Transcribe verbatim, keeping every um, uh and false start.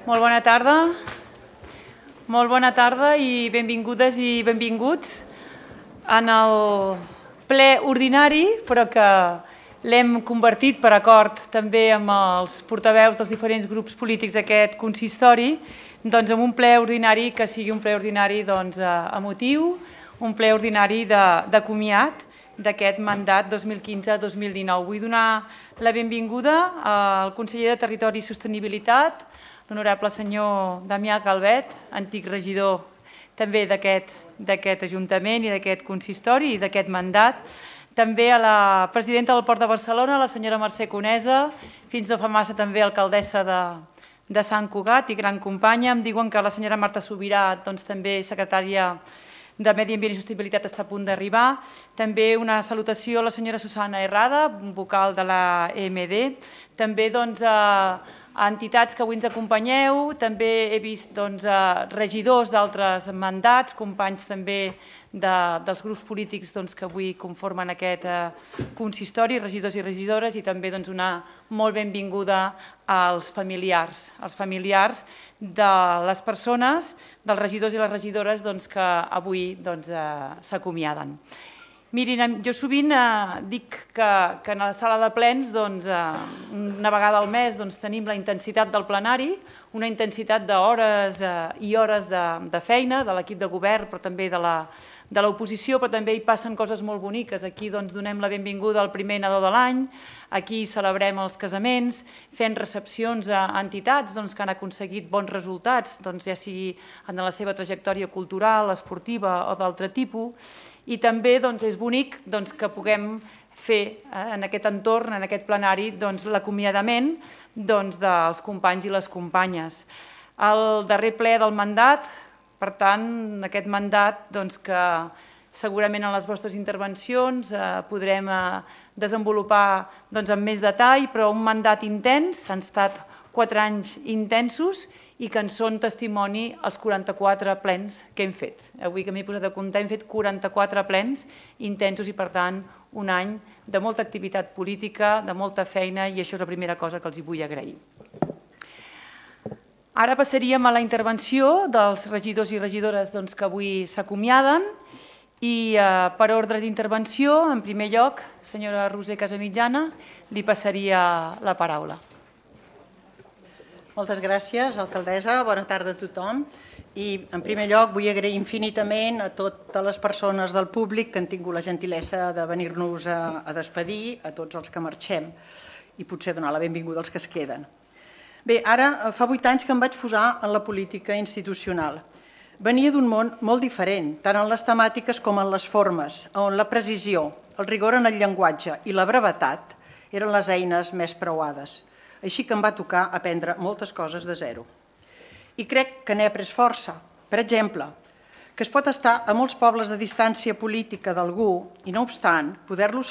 Molt bona tarda. Molt bona tarda i benvingudes i benvinguts en el ple ordinari, però que l'hem convertit per acord també amb els portaveus dels diferents grups polítics d'aquest consistori, doncs en un ple ordinari que sigui un ple ordinari doncs, emotiu, un ple ordinari de, de comiat d'aquest mandat dos mil quinze dos mil dinou. Vull donar la benvinguda al conseller de Territori i Sostenibilitat, l'honorable senyor Damià Calvet, antic regidor també d'aquest Ajuntament i d'aquest consistori i d'aquest mandat. També a la presidenta del Port de Barcelona, la senyora Mercè Conesa, fins no fa massa també alcaldessa de, de Sant Cugat i gran companya. Em diuen que la senyora Marta Subirà, doncs, també secretària de Medi Ambient i Sostenibilitat, està a punt d'arribar. També una salutació a la senyora Susana Herrada, vocal de la E M D. També doncs, a a entitats que avui ens acompanyeu, també he vist doncs, regidors d'altres mandats, companys també de, dels grups polítics doncs, que avui conformen aquest eh, consistori, regidors i regidores, i també doncs, una molt benvinguda als familiars, als familiars de les persones, dels regidors i les regidores doncs, que avui doncs, eh, s'acomiaden. Mirin, jo sovint eh, dic que, que en la sala de plens doncs, eh, una vegada al mes doncs, tenim la intensitat del plenari, una intensitat d'hores eh, i hores de, de feina de l'equip de govern, però també de la de l'oposició, però també hi passen coses molt boniques. Aquí doncs, donem la benvinguda al primer nadó de l'any, aquí celebrem els casaments, fent recepcions a entitats doncs, que han aconseguit bons resultats, doncs, ja sigui en la seva trajectòria cultural, esportiva o d'altre tipus, i també doncs, és bonic doncs, que puguem fer eh, en aquest entorn, en aquest plenari, doncs, l'acomiadament doncs, dels companys i les companyes. El darrer ple del mandat, per tant, aquest mandat doncs, que segurament en les vostres intervencions eh, podrem eh, desenvolupar doncs, amb més detall, però un mandat intens, han estat quatre anys intensos i que en són testimoni els quaranta-quatre plens que hem fet. Avui que m'he posat a comptar hem fet quaranta-quatre plens intensos i per tant un any de molta activitat política, de molta feina i això és la primera cosa que els hi vull agrair. Ara passaríem a la intervenció dels regidors i regidores doncs, que avui s'acomiaden i eh, per ordre d'intervenció, en primer lloc, senyora Roser Casamitjana, li passaria la paraula. Moltes gràcies, alcaldessa. Bona tarda a tothom. I, en primer lloc, vull agrair infinitament a totes les persones del públic que han tingut la gentilesa de venir-nos a, a despedir, a tots els que marxem, i potser donar la benvinguda als que es queden. Bé, ara fa vuit anys que em vaig posar en la política institucional. Venia d'un món molt diferent, tant en les temàtiques com en les formes, on la precisió, el rigor en el llenguatge i la brevetat eren les eines més preuades. Així que em va tocar aprendre moltes coses de zero. I crec que n'he après força. Per exemple, que es pot estar a molts pobles de distància política d'algú i, no obstant, poder-lo